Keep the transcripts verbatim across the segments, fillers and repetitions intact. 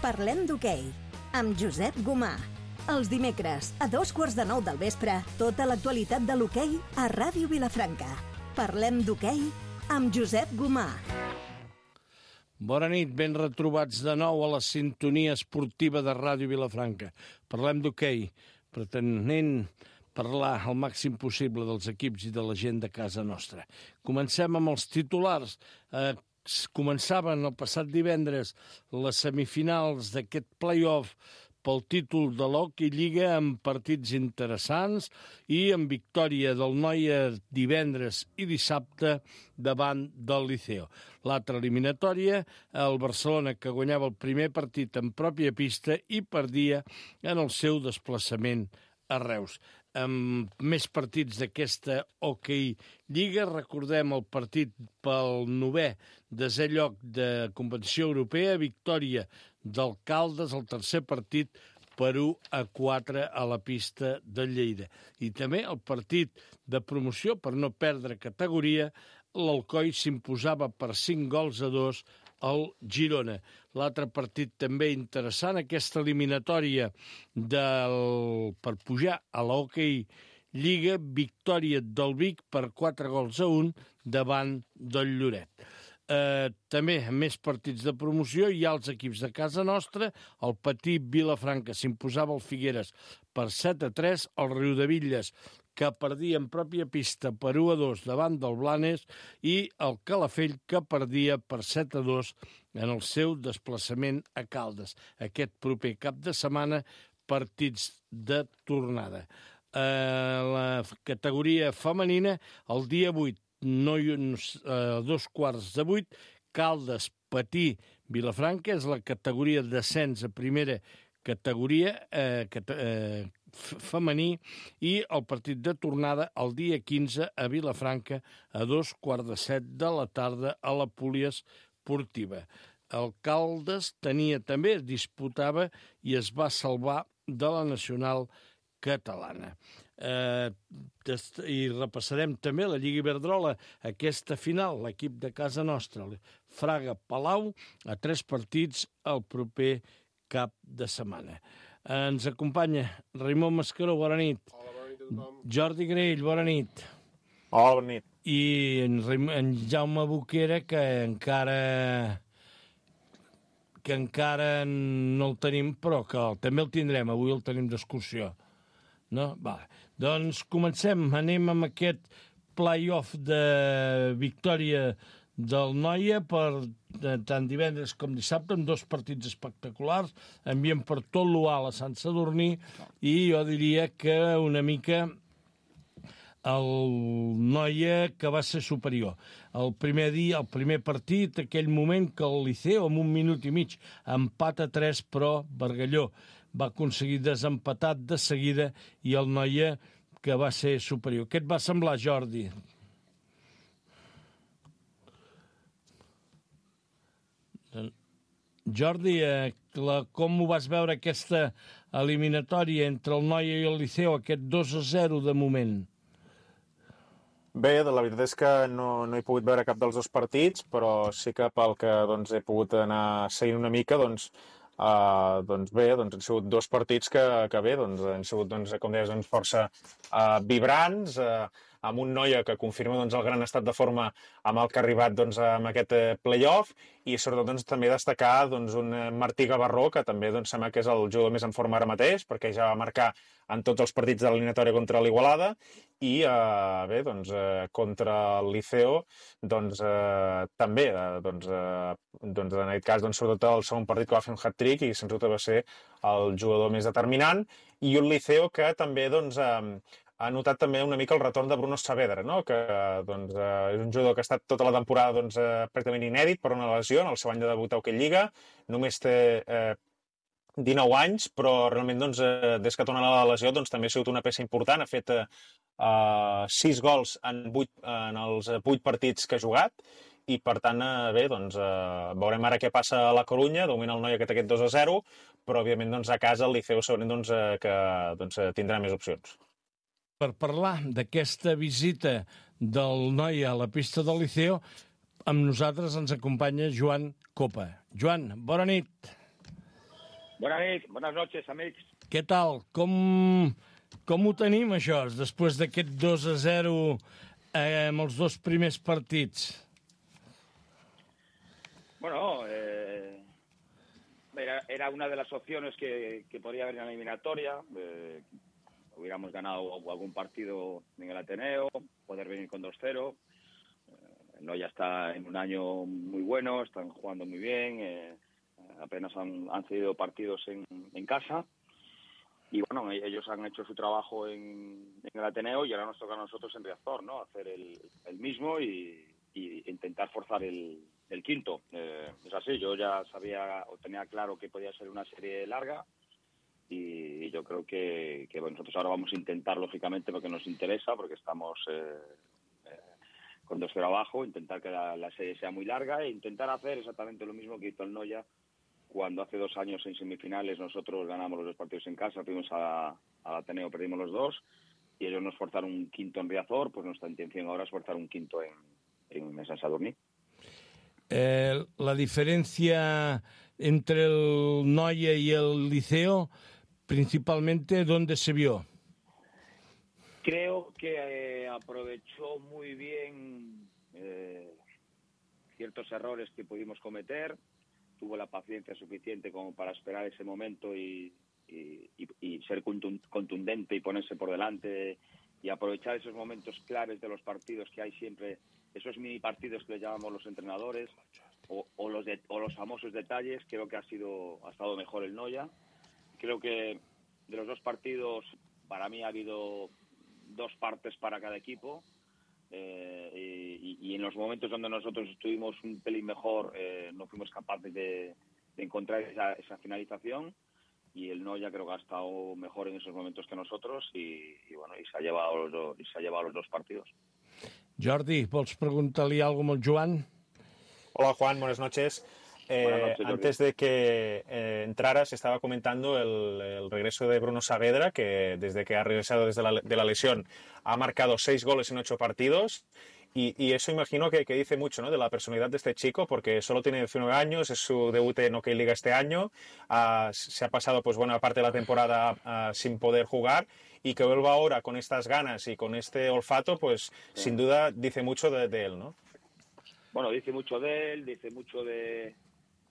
Parlem d'hoquei, amb Josep Gomà. Els dimecres, a dos quarts de nou del vespre, tota l'actualitat de l'hoquei a Ràdio Vilafranca. Parlem d'hoquei amb Josep Gomà. Bona nit, ben retrobats de nou a la sintonia esportiva de Ràdio Vilafranca. Parlem d'hoquei, pretenent parlar al màxim possible dels equips i de la gent de casa nostra. Comencem amb els titulars. Eh, començaven el passat divendres les semifinals d'aquest play-off pel títol de l'Hockey Lliga amb partits interessants i amb victòria del Noia divendres i dissabte davant del Liceo. L'altra eliminatòria, el Barcelona, que guanyava el primer partit en pròpia pista i perdia en el seu desplaçament a Reus. Amb més partits d'aquesta Hockey Lliga, recordem el partit pel novè desè lloc de competició europea, victòria del Caldes, el tercer partit per u a quatre a la pista de Lleida. I també el partit de promoció per no perdre categoria, l'Alcoi s'imposava per cinc gols a dos al Girona. L'altre partit també interessant, aquesta eliminatòria del, per pujar a l'Hockey Lliga, victòria del Vic per quatre gols a un davant del Lloret. Eh, també més partits de promoció hi ha els equips de casa nostra. El Petit Vilafranca s'imposava al Figueres per set a tres, el Riudebitlles, que perdia en pròpia pista per u a dos davant del Blanes, i el Calafell, que perdia per set a dos en el seu desplaçament a Caldes. Aquest proper cap de setmana, partits de tornada. Eh, la categoria femenina, el dia vuit, no, eh, dos quarts de vuit, Caldes, Patí, Vilafranca, és la categoria d'ascens a primera categoria eh, eh, femení, i el partit de tornada el dia quinze a Vilafranca a dos quarts de set de la tarda a la Poliesportiva. El Caldes tenia també, es disputava i es va salvar de la nacional catalana. Eh, I repassarem també la Lliga Iberdrola, aquesta final, l'equip de casa nostra, Fraga-Palau, a tres partits el proper cap de setmana. Ens acompanya Raimon Mascaró, bona nit. Hola, bona nit a tothom. Jordi Grell, bona nit. Hola, bona nit. I en, en Jaume Boquera, que encara que encara no el tenim, però que també el tindrem, avui el tenim d'excursió. No? Vale. Doncs comencem, anem amb aquest play-off de victòria del Noia per tant divendres com dissabte, amb dos partits espectaculars, enviem per tot l'Ual a Sant Sadurní, i jo diria que una mica el Noia que va ser superior. El primer dia, el primer partit, aquell moment que el Liceo, amb un minut i mig, empat a tres, però Bargalló va aconseguir desempatar de seguida, i el Noia que va ser superior. Què et va semblar, Jordi? Jordi, eh, la, com ho vas veure aquesta eliminatòria entre el Noia i el Liceo, aquest dos a zero de moment? Bé, la veritat és que no, no he pogut veure cap dels dos partits, però sí que pel que doncs, he pogut anar seguint una mica, doncs, Uh, doncs bé, doncs han sigut dos partits que, que bé, doncs han sigut, doncs, com deies, doncs, força uh, vibrants, uh, amb un Noia que confirma doncs, el gran estat de forma amb el que ha arribat doncs, amb aquest uh, play-off, i sobretot doncs, també destacar doncs, un Martí Gavarró, que també doncs, sembla que és el jugador més en forma ara mateix, perquè ja va marcar en tots els partits de l'eliminatòria contra l'Igualada, i uh, bé, doncs, uh, contra el Liceo, doncs uh, també, uh, doncs, uh, doncs, en aquest cas, doncs, sobretot el segon partit que va fer un hat-trick, i sens dubte va ser el jugador més determinant, i un Liceo que també doncs, uh, ha notat també una mica el retorn de Bruno Saavedra, no? Que doncs, uh, és un jugador que ha estat tota la temporada doncs, uh, pràcticament inèdit per una lesió en el seu any de debut a Hockey Lliga, només té uh, dinou anys, però realment doncs, eh, des que torna la lesió doncs, també ha sigut una peça important, ha fet eh, sis gols en, vuit, en els vuit partits que ha jugat, i per tant, eh, bé, doncs, eh, veurem ara què passa a la Corunya, de moment el Noia que té aquest dos a zero, però òbviament doncs, a casa el Liceu segurament doncs, eh, que doncs, tindrà més opcions. Per parlar d'aquesta visita del Noia a la pista del Liceo, amb nosaltres ens acompanya Joan Copa. Joan, bona nit. Bona nit, bones noches, amics. Què tal? Com, com ho tenim, això, després d'aquest dos a zero eh, amb els dos primers partits? Bueno, eh, era, era una de las opciones que, que podría haber en la eliminatoria. Eh, hubiéramos ganado algún partido en el Ateneo, poder venir con dos cero. Eh, no, ya está en un año muy bueno, están jugando muy bien. Eh, apenas han, han cedido partidos en, en casa. Y bueno, ellos han hecho su trabajo en, en el Ateneo y ahora nos toca a nosotros en Riazor, ¿no? Hacer el, el mismo y, y intentar forzar el, el quinto. Eh, es así, yo ya sabía o tenía claro que podía ser una serie larga y, y yo creo que, que bueno, nosotros ahora vamos a intentar, lógicamente, porque nos interesa, porque estamos eh, eh, con dos cero abajo, intentar que la, la serie sea muy larga e intentar hacer exactamente lo mismo que hizo el Noya cuando hace dos años en semifinales nosotros ganamos los dos partidos en casa, fuimos a, al Ateneo, perdimos los dos, y ellos nos forzaron un quinto en Riazor, pues nuestra intención ahora es forzar un quinto en, en San Sadurní. Eh, la diferencia entre el Noya y el Liceo, principalmente, ¿dónde se vio? Creo que eh, aprovechó muy bien eh, ciertos errores que pudimos cometer, tuvo la paciencia suficiente como para esperar ese momento y, y, y, y ser contundente y ponerse por delante y aprovechar esos momentos claves de los partidos que hay siempre, esos mini partidos que le llamamos los entrenadores o, o, los, de, o los famosos detalles. Creo que ha sido ha estado mejor el Noya. Creo que de los dos partidos para mí ha habido dos partes para cada equipo. Eh, y, y en los momentos donde nosotros estuvimos un pelín mejor eh, no fuimos capaces de, de encontrar esa, esa finalización y el Noya creo que ha estado mejor en esos momentos que nosotros y, y bueno y se ha llevado los dos, y se ha llevado los dos partidos. Jordi, vols preguntar-li alguna cosa al Joan? Hola Juan, buenas noches. Eh, Buenas noches, antes de que eh, entraras, estaba comentando el, el regreso de Bruno Saavedra, que desde que ha regresado desde la, de la lesión ha marcado seis goles en ocho partidos. Y, y eso imagino que, que dice mucho, ¿no?, de la personalidad de este chico, porque solo tiene diecinueve años, es su debut en OK Liga este año, uh, se ha pasado pues buena parte de la temporada uh, sin poder jugar, y que vuelva ahora con estas ganas y con este olfato, pues sí, sin duda dice mucho de, de él, ¿no? Bueno, dice mucho de él, dice mucho de...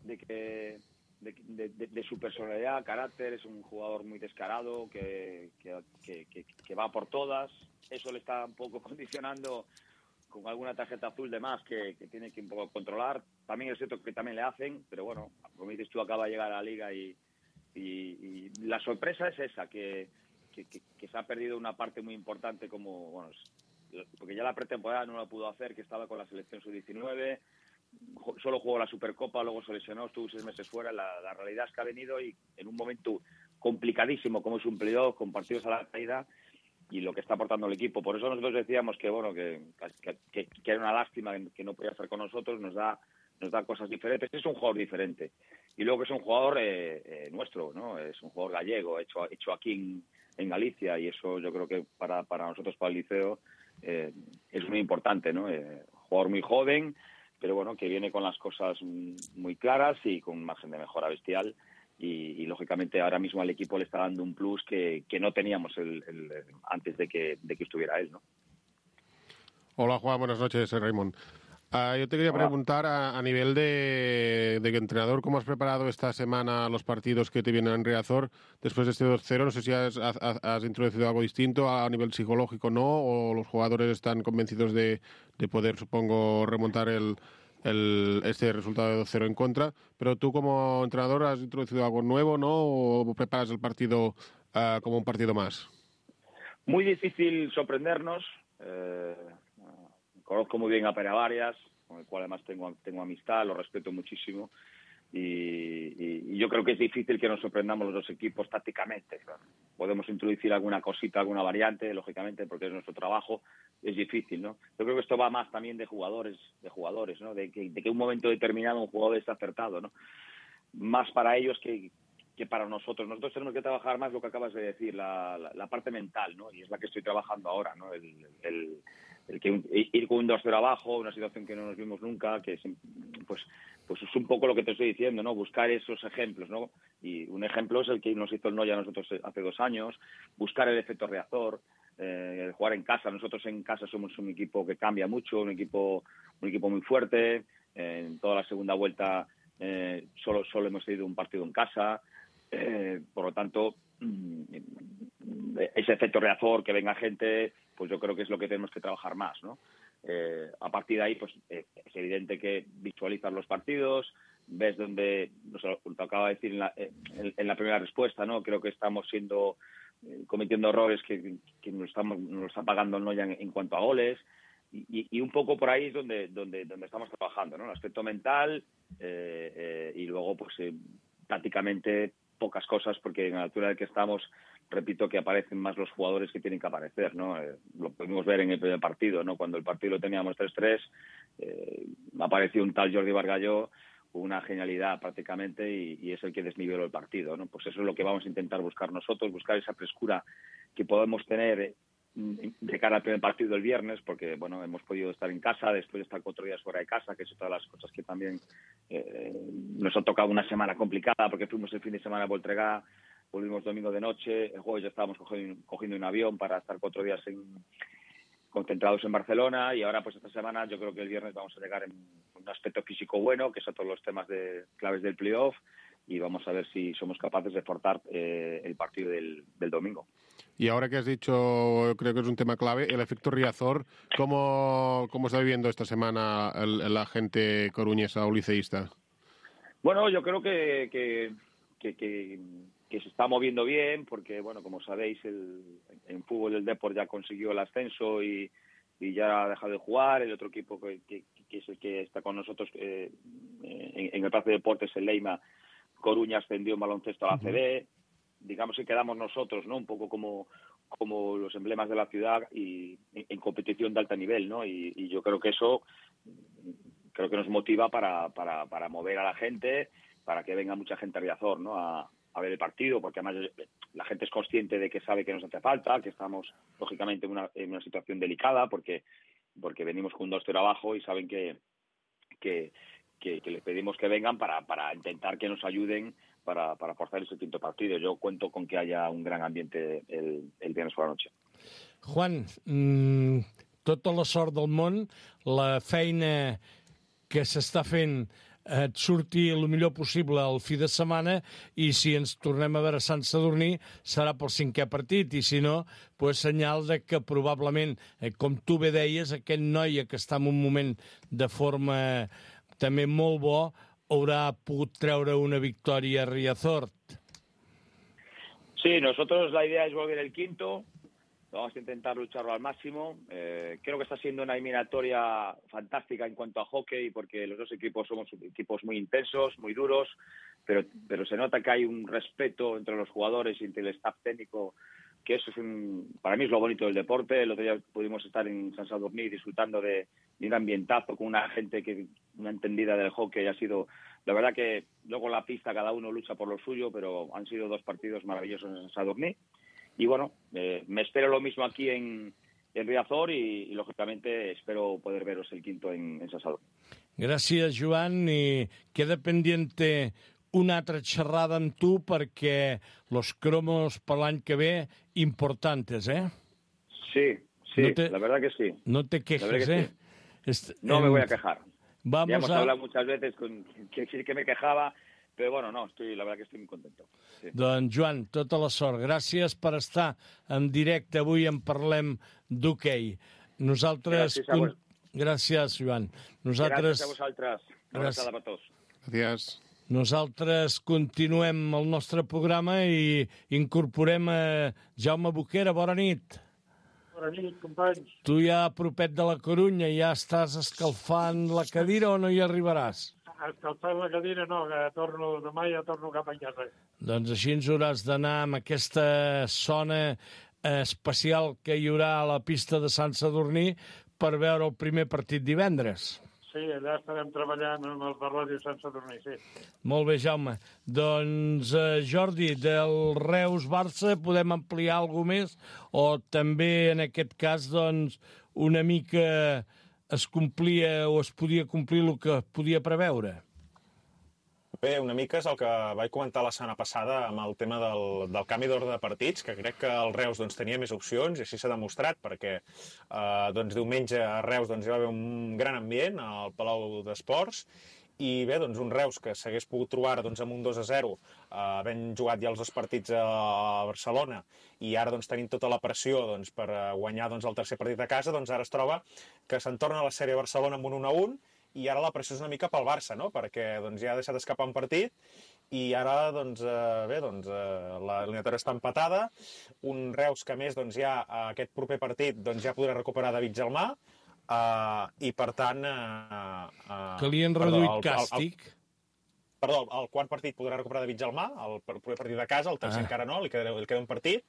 de que de, de, de, de su personalidad, carácter. Es un jugador muy descarado que, que, que, que, que va por todas. Eso le está un poco condicionando con alguna tarjeta azul de más que, que tiene que un poco controlar. También es cierto que también le hacen, pero bueno, como dices tú, acaba de llegar a la liga y, y, y la sorpresa es esa, que, que, que, que se ha perdido una parte muy importante, como bueno, porque ya la pretemporada no la pudo hacer, que estaba con la selección sub diecinueve, solo jugó la Supercopa, luego se lesionó, estuvo seis meses fuera. La, la realidad es que ha venido y en un momento complicadísimo como es un playoff, con partidos a la caída, y lo que está aportando el equipo. Por eso nosotros decíamos que bueno que, que, que, que era una lástima que no podía estar con nosotros, nos da nos da cosas diferentes. Es un jugador diferente. Y luego que es un jugador eh, eh, nuestro, ¿no? Es un jugador gallego, hecho, hecho aquí en, en Galicia, y eso yo creo que para, para nosotros, para el Liceo, eh, es muy importante, ¿no? Eh, jugador muy joven, pero bueno, que viene con las cosas muy claras y con un margen de mejora bestial. Y, y lógicamente ahora mismo al equipo le está dando un plus que, que no teníamos el, el, antes de que, de que estuviera él, ¿no? Hola Juan, buenas noches, soy Raymond. Uh, yo te quería Hola. preguntar a, a nivel de, de entrenador, ¿cómo has preparado esta semana los partidos que te vienen en Riazor después de este dos cero? No sé si has, has, has introducido algo distinto a, a nivel psicológico, ¿no? O los jugadores están convencidos de, de poder, supongo, remontar el, el, este resultado de dos cero en contra. Pero tú como entrenador has introducido algo nuevo, ¿no? ¿O preparas el partido uh, como un partido más? Muy difícil sorprendernos. Eh... Conozco muy bien a Pere Varias, con el cual además tengo, tengo amistad, lo respeto muchísimo. Y, y, y yo creo que es difícil que nos sorprendamos los dos equipos tácticamente. Podemos introducir alguna cosita, alguna variante, lógicamente, porque es nuestro trabajo. Es difícil, ¿no? Yo creo que esto va más también de jugadores, de jugadores, ¿no? De que, de que un momento determinado un jugador está acertado, ¿no? Más para ellos que, que para nosotros. Nosotros tenemos que trabajar más lo que acabas de decir, la, la, la parte mental, ¿no? Y es la que estoy trabajando ahora, ¿no? El, el, el que un, ir con un dos cero abajo, una situación que no nos vimos nunca, que es, pues, pues es un poco lo que te estoy diciendo, ¿no? Buscar esos ejemplos, ¿no? Y un ejemplo es el que nos hizo el Noya a nosotros hace dos años, buscar el efecto reactor, eh, el jugar en casa. Nosotros en casa somos un equipo que cambia mucho, un equipo, un equipo muy fuerte. Eh, en toda la segunda vuelta eh, solo, solo hemos tenido un partido en casa. Eh, por lo tanto, ese efecto reactor, que venga gente, pues yo creo que es lo que tenemos que trabajar más, ¿no? Eh, a partir de ahí, pues eh, es evidente que visualizas los partidos, ves donde, no sé, lo acaba de decir en la, en, en la primera respuesta, ¿no? Creo que estamos siendo, eh, cometiendo errores que, que nos estamos, nos está pagando el Noya en, en cuanto a goles. Y, y un poco por ahí es donde, donde, donde estamos trabajando, ¿no? El aspecto mental eh, eh, y luego, pues, eh, prácticamente pocas cosas, porque en la altura en la que estamos, repito, que aparecen más los jugadores que tienen que aparecer, ¿no? Eh, lo pudimos ver en el primer partido, ¿no? Cuando el partido lo teníamos tres tres, eh, apareció un tal Jordi Bargalló, una genialidad prácticamente, y, y es el que desniveló el partido, ¿no? Pues eso es lo que vamos a intentar buscar nosotros, buscar esa frescura que podemos tener de cara al primer partido del viernes, porque bueno, hemos podido estar en casa, después de estar cuatro días fuera de casa, que es otra de las cosas que también eh, nos ha tocado una semana complicada, porque fuimos el fin de semana a Voltregá, volvimos domingo de noche, el jueves ya estábamos cogiendo, cogiendo un avión para estar cuatro días en, concentrados en Barcelona, y ahora pues esta semana yo creo que el viernes vamos a llegar en un aspecto físico bueno, que son todos los temas de claves del playoff, y vamos a ver si somos capaces de forzar eh, el partido del, del domingo. Y ahora que has dicho, creo que es un tema clave, el efecto Riazor, ¿cómo, cómo está viviendo esta semana el, la gente coruñesa o liceísta? Bueno, yo creo que, que, que, que, que se está moviendo bien, porque, bueno, como sabéis, el, en fútbol el Depor ya consiguió el ascenso y, y ya ha dejado de jugar. El otro equipo que, que, que es el que está con nosotros eh, en, en el Palacio de Deportes, el Leima Coruña, ascendió en baloncesto a la A C B. Digamos que quedamos nosotros, ¿no? Un poco como, como los emblemas de la ciudad y en, en competición de alto nivel, ¿no? Y, y yo creo que eso creo que nos motiva para, para, para mover a la gente, para que venga mucha gente a Riazor, ¿no? A, a ver el partido, porque además la gente es consciente de que sabe que nos hace falta, que estamos lógicamente en una, en una situación delicada, porque, porque venimos con un dos cero abajo y saben que, que, que, que les pedimos que vengan para, para intentar que nos ayuden para, para forzar ese quinto partido. Yo cuento con que haya un gran ambiente el, el viernes por la noche. Juan, mmm, tota la sort del món, la feina que s'està fent et surti el millor possible el fi de setmana, i si ens tornem a veure a Sant Sadurní serà pel cinquè partit, i si no, pues, senyal de que probablement, eh, com tu bé deies, aquest Noia que està en un moment de forma també molt bo, haurà pogut treure una victòria a Riazor. Sí, nosotros la idea es volver el quinto. Vamos a intentar lucharlo al máximo. Eh, creo que está siendo una eliminatoria fantástica en cuanto a hockey, porque los dos equipos somos equipos muy intensos, muy duros, pero, pero se nota que hay un respeto entre los jugadores y entre el staff técnico, que eso es un, para mí es lo bonito del deporte. El otro día pudimos estar en Sant Sadurní disfrutando de, de un ambientazo con una gente que una entendida del hockey. Ha sido, la verdad que luego en la pista cada uno lucha por lo suyo, pero han sido dos partidos maravillosos en Sant Sadurní. Y bueno, eh, me espero lo mismo aquí en, en Riazor y, y, lógicamente, espero poder veros el quinto en, en Sant Sadurní. Gràcies, Joan, i queda pendiente una altra xerrada amb tu perquè los cromos per l'any que ve importantes, eh? Sí, sí, no te, la verdad que sí. No te quejes, que eh? Sí. Est no me voy a quejar. Vamos ya hemos a... hablado muchas veces con que sí que me quejaba, però bueno, no, estoy, la verdad que estoy muy contento. Sí. Doncs, Joan, tota la sort. Gràcies per estar en directe avui en Parlem d'Hoquei. Nosaltres... Gràcies a vos. Gràcies, Joan. Nosaltres... Gràcies a vosaltres. Una abraçada per tots. Gràcies. Nosaltres continuem el nostre programa i incorporem a Jaume Boquera. Bona nit. Bona nit, companys. Tu ja propet de la Corunya, ja estàs escalfant la cadira o no hi arribaràs? Escalfant la cadira no, que torno, demà ja torno cap a casa. Doncs així ens hauràs d'anar amb aquesta zona especial que hi haurà a la pista de Sant Sadurní per veure el primer partit divendres. Sí, sí, allà estarem treballant amb els de Ràdio Sant Sadurní, sí. Molt bé, Jaume. Doncs, eh, Jordi, del Reus-Barça podem ampliar alguna més o també, en aquest cas, doncs, una mica es complia o es podia complir el que podia preveure? Bé, una mica és el que vaig comentar la setmana passada amb el tema del, del canvi d'ordre de partits, que crec que el Reus doncs, tenia més opcions i així s'ha demostrat, perquè eh, doncs, diumenge a Reus doncs, hi va haver un gran ambient al Palau d'Esports i bé, doncs, un Reus que s'hagués pogut trobar doncs, amb un dos a zero, eh, havent jugat ja els dos partits a Barcelona i ara doncs, tenint tota la pressió doncs, per guanyar doncs, el tercer partit a casa, doncs ara es troba que se'n torna a la sèrie Barcelona amb un un a un i ara la pressió és una mica pel Barça, no? Perquè doncs, ja ha deixat escapar un partit i ara doncs, eh, bé, doncs, eh, la eliminatòria està empatada, un Reus que a més doncs, ja aquest proper partit doncs, ja podrà recuperar David Gelmà eh, i per tant... Eh, eh, que li han reduït càstig. El, el, perdó, el quart partit podrà recuperar David Gelmà, el proper partit de casa, el tercer ah. encara no, li queda, li queda un partit.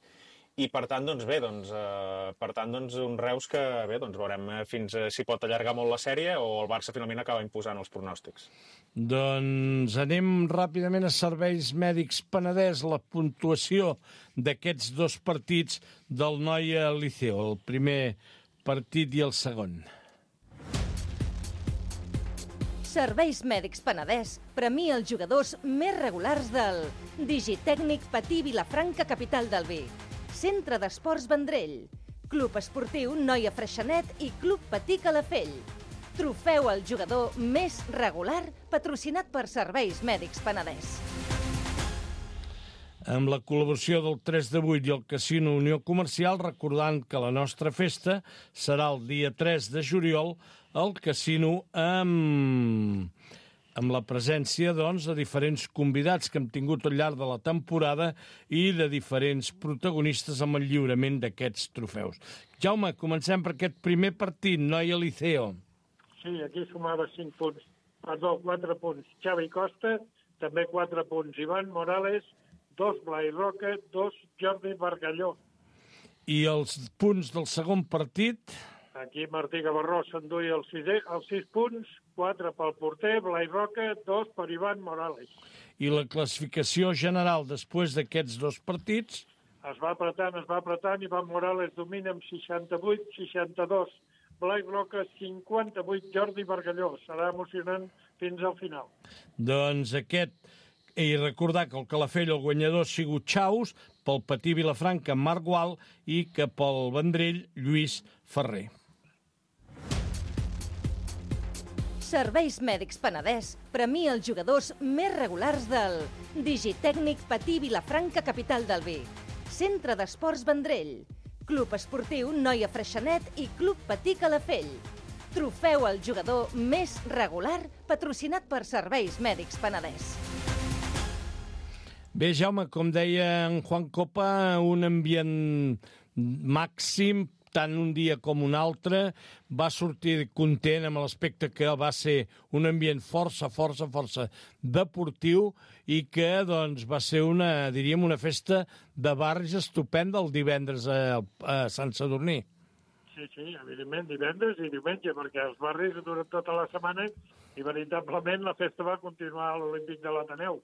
I per tant, doncs bé, doncs, eh, per tant, doncs, un Reus que bé, doncs, veurem fins eh, si pot allargar molt la sèrie o el Barça finalment acaba imposant els pronòstics. Doncs anem ràpidament a Serveis Mèdics Penedès, la puntuació d'aquests dos partits del Noia Liceo, el primer partit i el segon. Serveis Mèdics Penedès premia els jugadors més regulars del Digitècnic Patí Vilafranca, capital del Vi. Centre d'Esports Vendrell, Club Esportiu Noia Freixenet i Club Patí Calafell. Trofeu al jugador més regular patrocinat per Serveis Mèdics Penedès. Amb la col·laboració del tres de vuit i el Casino Unió Comercial, recordant que la nostra festa serà el dia tres de juliol al Casino amb... amb la presència, doncs, de diferents convidats que hem tingut al llarg de la temporada i de diferents protagonistes amb el lliurament d'aquests trofeus. Jaume, comencem per aquest primer partit, Noia Liceo. Sí, aquí sumava cinc punts, perdó, quatre punts. Xavi Costa, també quatre punts. Ivan Morales, dos Blai Roca, dos Jordi Bargalló. I els punts del segon partit? Aquí Martí Gavarró s'enduia els, els sis punts, quatre pel porter, Blai Roca, dos per Ivan Morales. I la classificació general després d'aquests dos partits? Es va apretant, es va apretant, Ivan Morales domina amb seixanta-vuit seixanta-dos, Blai Roca cinquanta-vuit, Jordi Bargalló. Serà emocionant fins al final. Doncs aquest, i recordar que el Calafell, el guanyador, ha sigut Chaus, pel Patí Vilafranca, Marc Gual, i que pel Vendrell, Lluís Ferrer. Serveis Mèdics Penedès premia els jugadors més regulars del Digitècnic Patí Vilafranca, capital del Vi. Centre d'Esports Vendrell, Club Esportiu Noia Freixenet i Club Patí Calafell. Trofeu al jugador més regular patrocinat per Serveis Mèdics Penedès. Bé, Jaume, com deia en Juan Copa, un ambient màxim, tant un dia com un altre, va sortir content amb l'aspecte que va ser un ambient força, força, força deportiu i que doncs, va ser una, diríem, una festa de barris estupenda el divendres a, a Sant Sadurní. Sí, sí, evidentment, divendres i diumenge, perquè els barris duren tota la setmana i veritablement la festa va continuar a l'Olímpic de l'Ateneu.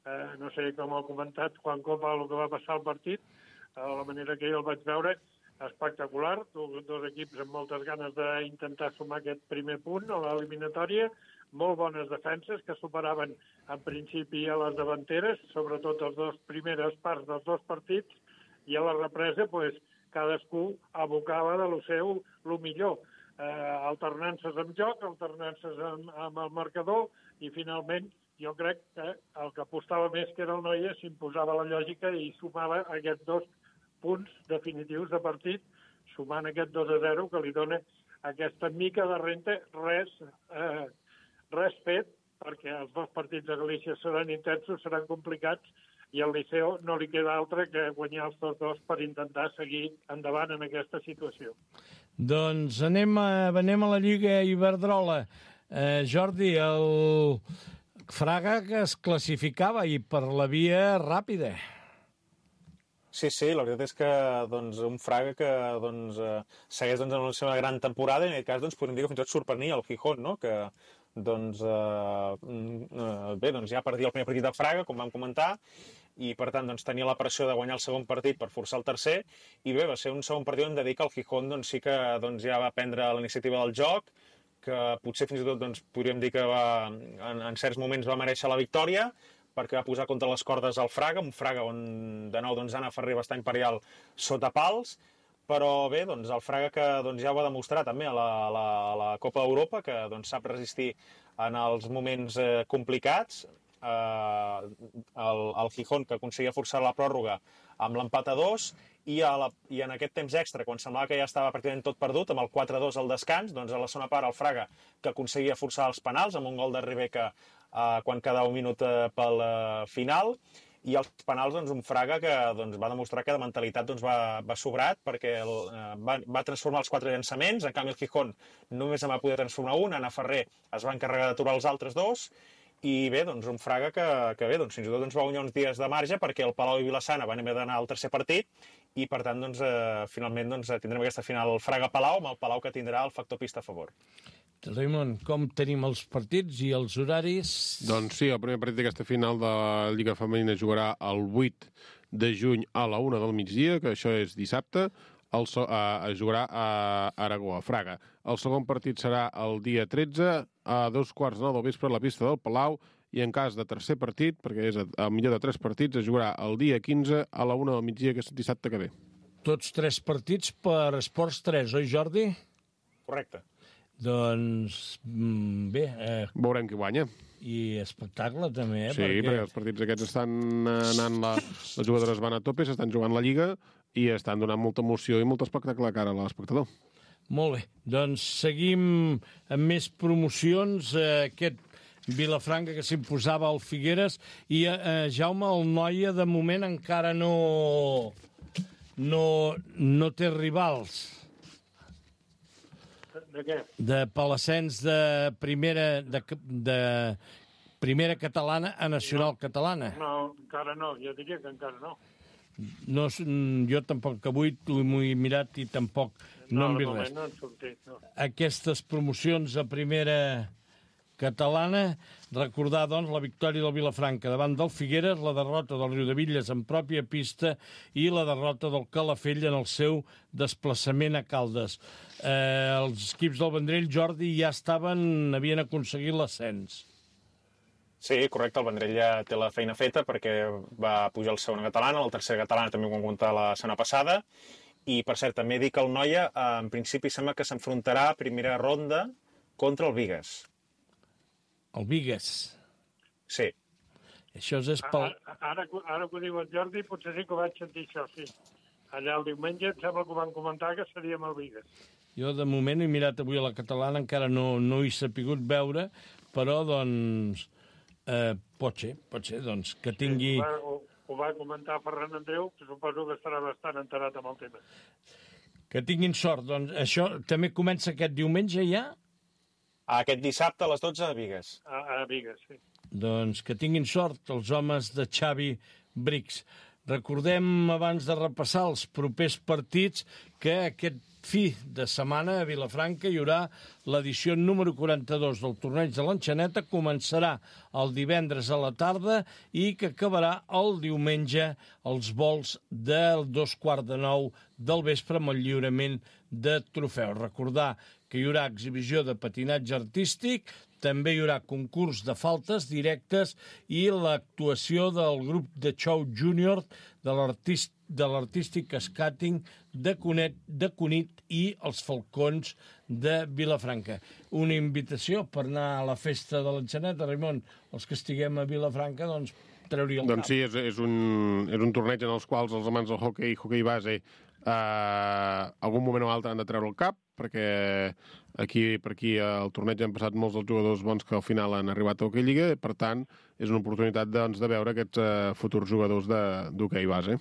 Eh, no sé com ha comentat Juan Copa el que va passar al partit, eh, la manera que jo el vaig veure, espectacular, dos equips amb moltes ganes d'intentar sumar aquest primer punt a l'eliminatòria, molt bones defenses que superaven en principi a les davanteres, sobretot els dos primeres parts dels dos partits, i a la represa pues, cadascú abocava de lo seu el millor, eh, alternances amb joc, alternances amb, amb el marcador, i finalment jo crec que el que apostava més que era el Noia s'imposava la lògica i sumava aquests dos punts definitius de partit, sumant aquest dos a zero que li dona aquesta mica de renta, res, eh, res fet, perquè els dos partits de Galícia seran intensos, seran complicats, i al Liceo no li queda altre que guanyar els dos dos per intentar seguir endavant en aquesta situació. Doncs anem a, anem a la Lliga Iberdrola. Eh, Jordi, el Fraga que es classificava i per la via ràpida. Sí, sí, la veritat és que doncs, un Fraga que doncs, eh, segueix doncs, en la seva gran temporada i en aquest cas doncs, podem dir que fins i tot sorprenia el Gijón, no? que doncs, eh, bé, doncs ja perdia el primer partit de Fraga, com vam comentar, i per tant doncs, tenia la pressió de guanyar el segon partit per forçar el tercer, i bé, va ser un segon partit on de dir que el Gijón doncs, sí que doncs, ja va prendre la iniciativa del joc, que potser fins i tot doncs, podríem dir que va, en, en certs moments va mereixer la victòria, perquè va posar contra les cordes el Fraga, un Fraga on de nou doncs, Anna Ferrer va estar imperial sota pals, però bé, doncs, el Fraga que doncs, ja ho va demostrar també a la, a la, a la Copa d'Europa, que doncs, sap resistir en els moments eh, complicats, eh, el, el Gijón que aconseguia forçar la pròrroga amb l'empat a dos, i, a la, i en aquest temps extra, quan semblava que ja estava pràcticament tot perdut, amb el quatre a dos al descans, doncs a la segona part el Fraga que aconseguia forçar els penals amb un gol de Ribeca eh, quan quedava un minut eh, pel eh, final, i els penals, doncs, un Fraga que doncs, va demostrar que de mentalitat doncs, va, va sobrat, perquè el, eh, va, va transformar els quatre llançaments, en canvi el Gijón només en va poder transformar un, Anna Ferrer es va encarregar d'aturar els altres dos, i bé, doncs un Fraga que, que bé, doncs, fins i tot ens va guanyar uns dies de marge, perquè el Palau i Vilassana van haver d'anar al tercer partit, i per tant, doncs, eh, finalment doncs, tindrem aquesta final Fraga-Palau, amb el Palau que tindrà el factor pista a favor. Raimon, com tenim els partits i els horaris? Doncs sí, el primer partit d'aquesta final de la Lliga Femenina jugarà el vuit de juny a la una del migdia, que això és dissabte. El so, eh, es jugarà a Aragó, a Fraga. El segon partit serà el dia tretze, a dos quarts de nou del vespre a la pista del Palau, i en cas de tercer partit, perquè és el millor de tres partits, es jugarà el dia quinze a la una del migdia, que és dissabte que ve. Tots tres partits per Esports tres, oi, Jordi? Correcte. Doncs, bé... Eh, Veurem qui guanya. I espectacle, també, eh? Sí, perquè... perquè els partits aquests estan anant... La... Les jugadores van a tope, s'estan jugant la Lliga i estan donant molta emoció i molt espectacle a cara a l'espectador. Molt bé. Doncs seguim amb més promocions. Eh, aquest Vilafranca que s'imposava al Figueres i, eh, Jaume, el Noia, de moment encara no, no, no té rivals. De què? De Palassens de primera, de, de primera catalana a nacional no, catalana. No, encara no, jo diria que encara no. No, jo tampoc, que avui m'ho he mirat i tampoc no, no hem vist res. No han sortit, no. Aquestes promocions a primera catalana, recordar, doncs, la victòria del Vilafranca davant del Figueres, la derrota del Riudevilles en pròpia pista i la derrota del Calafell en el seu desplaçament a Caldes. Eh, els equips del Vendrell, Jordi, ja estaven, havien aconseguit l'ascens. Sí, correcte, el Vendrell ja té la feina feta perquè va pujar el segona catalana, la tercera catalana també ho vam comptar la setmana passada, i per cert, també dic que el Noia en principi sembla que s'enfrontarà a primera ronda contra el Bigues. El Bigues? Sí. Això és pel... Ara, ara, ara que ho diu el Jordi, potser sí que ho vaig sentir això, sí. Allà el diumenge em sembla que ho van comentar que seríem el Bigues. Jo, de moment, he mirat avui a la catalana, encara no, no he sapigut veure, però, doncs, eh, pot ser, pot ser, doncs, que tingui... Sí, ho, va, ho, ho va comentar Ferran Andreu, que suposo que estarà bastant enterat amb el tema. Que tinguin sort, doncs, això també comença aquest diumenge ja? Aquest dissabte a les dotze a Bigues. A, a Bigues, sí. Doncs que tinguin sort els homes de Xavi Brix. Recordem, abans de repassar els propers partits, que aquest fi de setmana a Vilafranca hi haurà l'edició número quaranta-dos del torneig de l'Enxaneta. Començarà el divendres a la tarda i que acabarà el diumenge als vols del dos quarts de nou del vespre amb el lliurament de trofeus. Recordar que hi haurà exhibició de patinatge artístic, també hi haurà concurs de faltes directes i l'actuació del grup de show júnior de l'artist de l'artístic skating de Cunet, de Cunit i els Falcons de Vilafranca. Una invitació per anar a la festa de l'Enxaneta, Raimon, els que estiguem a Vilafranca, doncs treuria el doncs cap. Doncs sí, és, és, un, és un torneig en els quals els amants del hoquei, hoquei base, eh, algun moment o altre han de treure el cap, perquè aquí per aquí al torneig han passat molts dels jugadors bons que al final han arribat a Hockey Lliga, per tant, és una oportunitat doncs, de veure aquests eh, futurs jugadors d'hoquei base.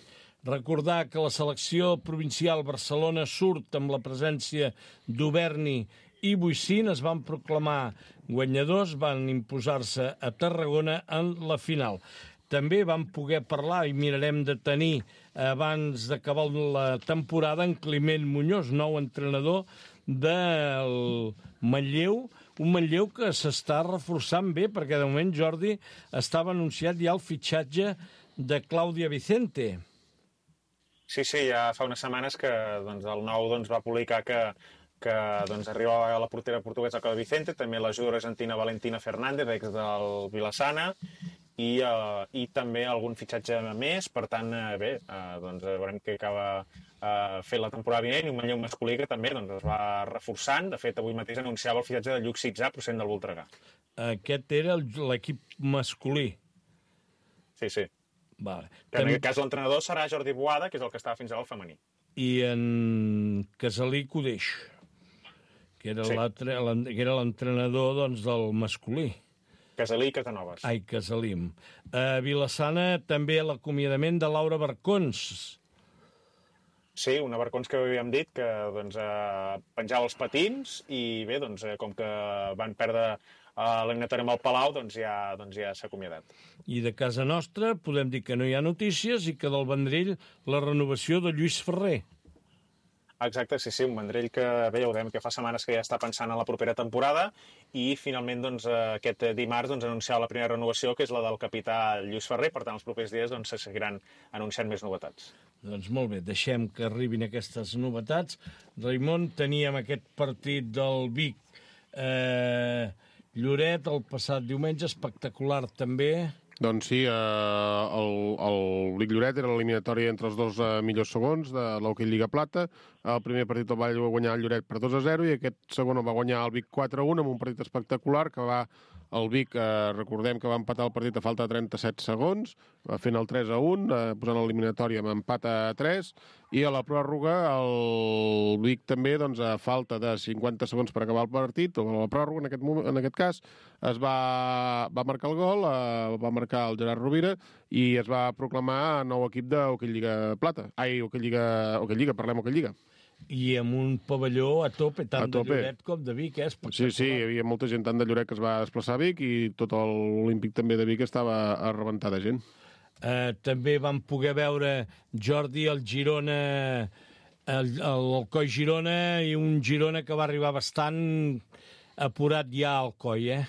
Recordar que la selecció provincial Barcelona surt amb la presència d'Uberni i Boixín, es van proclamar guanyadors, van imposar-se a Tarragona en la final. També vam poder parlar i mirarem de tenir abans d'acabar la temporada en Climent Muñoz, nou entrenador del Manlleu, un Manlleu que s'està reforçant bé, perquè de moment, Jordi, estava anunciat ja el fitxatge de Clàudia Vicente. Sí, sí, ja fa unes setmanes que doncs, el nou doncs, va publicar que, que doncs, arribava a la portera portuguesa Clàudia Vicente, també la jugadora argentina Valentina Fernández, ex del Vilassana, i, uh, i també algun fitxatge més. Per tant, uh, bé, uh, doncs, veurem que acaba uh, fent la temporada vinent, i un Manlleu masculí que també doncs, es va reforçant. De fet, avui mateix anunciava el fitxatge de Lluc Sitzà, procedent del Voltregà. Aquest era l'equip masculí. Sí, sí. Vale. Que en aquest cas l'entrenador serà Jordi Boada, que és el que estava fins ara al femení. I en Casalí Codeix, que era sí. l'entrenador doncs, del masculí. Casalí i Casanovas. Ai, Casalim. A Vilassana també l'acomiadament de Laura Barcons. Sí, una Barcons que havíem dit que doncs, eh, penjava els patins i bé, doncs, eh, com que van perdre a l'eliminatori amb el Palau, doncs ja, doncs ja s'ha acomiadat. I de casa nostra podem dir que no hi ha notícies i que del Vendrell la renovació de Lluís Ferrer. Exacte, sí, sí, un Vendrell que bé, ja ho dèiem, que fa setmanes que ja està pensant en la propera temporada i finalment doncs, aquest dimarts doncs, anunciava la primera renovació, que és la del capità Lluís Ferrer. Per tant, els propers dies doncs, se seguiran anunciant més novetats. Doncs molt bé, deixem que arribin aquestes novetats. Raimon, teníem aquest partit del Vic eh, Lloret el passat diumenge, espectacular també. Doncs sí, eh, el, el Vic Lloret era l'eliminatori entre els dos eh, millors segons de l'Hockey Lliga Plata. El primer partit el va guanyar el Lloret per dos a zero i aquest segon el va guanyar el Vic quatre a un amb un partit espectacular que va... El Vic, eh, recordem que va empatar el partit a falta de trenta-set segons, va fent el tres a un, eh, posant l'eliminatòria amb empat a tres, i a la pròrroga el Vic també, doncs, a falta de cinquanta segons per acabar el partit, o a la pròrroga en aquest, moment, en aquest cas, es va, va marcar el gol, eh, va marcar el Gerard Rovira, i es va proclamar nou equip de Hockey Lliga Plata. Ai, Hockey Lliga, Hockey Lliga, parlem Hockey Lliga. I amb un pavelló a tope, tant a tope. De Lloret com de Vic, eh? Sí, sí, hi havia molta gent tant de Lloret que es va desplaçar a Vic i tot l'Olímpic també de Vic estava a rebentar de gent. Eh, també vam poder veure Jordi, el Girona, el, el Alcoi Girona, i un Girona que va arribar bastant apurat ja al Alcoi, eh?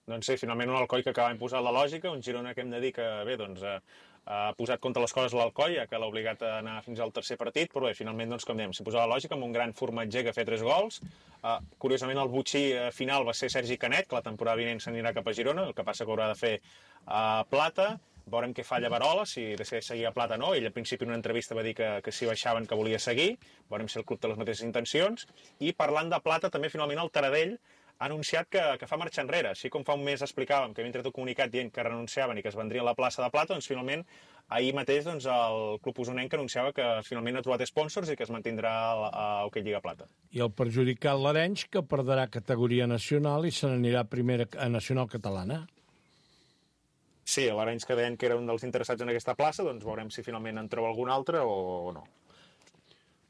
Doncs sí, finalment un Alcoi que acaba imposant la lògica, un Girona que hem de dir que, bé, doncs... Eh, ha posat contra les coses l'Alcoi, que l'ha obligat a anar fins al tercer partit, però bé, finalment, doncs, com dèiem, s'hi posava la lògica amb un gran formatger que ha fet tres gols. Uh, curiosament, el butxí uh, final va ser Sergi Canet, que la temporada vinent s'anirà cap a Girona, el que passa que haurà de fer uh, Plata. Veurem què falla Barola, si decideix seguir a Plata o no. Ell, al principi, en una entrevista va dir que, que si baixaven que volia seguir. Veurem si el club té les mateixes intencions. I parlant de Plata, també, finalment, el Taradell ha anunciat que, que fa marxa enrere. Així com fa un mes explicàvem que havien tret un comunicat dient que renunciaven i que es vendrien a la plaça de Plata, doncs finalment ahir mateix doncs, el club usonenc anunciava que finalment ha trobat sponsors i que es mantindrà a Hockey Lliga Plata. I el perjudicat l'Arenys, que perdrà categoria nacional i se n'anirà a primera a nacional catalana. Sí, l'Arenys que deien que era un dels interessats en aquesta plaça, doncs veurem si finalment en troba algun altre o, o no.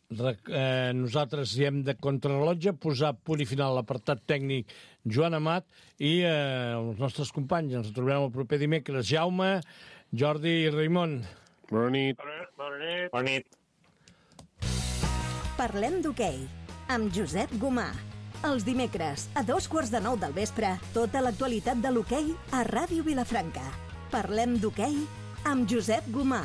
Eh, nosaltres hi hem de contrarrellotge posar punt i final l'apartat tècnic Joan Amat i eh, els nostres companys. Ens trobarem el proper dimecres. Jaume, Jordi i Raimon. Bona nit. Bona nit. Bona nit. Parlem d'hoquei amb Josep Gomà. Els dimecres, a dos quarts de nou del vespre, tota l'actualitat de l'hoquei a Ràdio Vilafranca. Parlem d'hoquei amb Josep Gomà.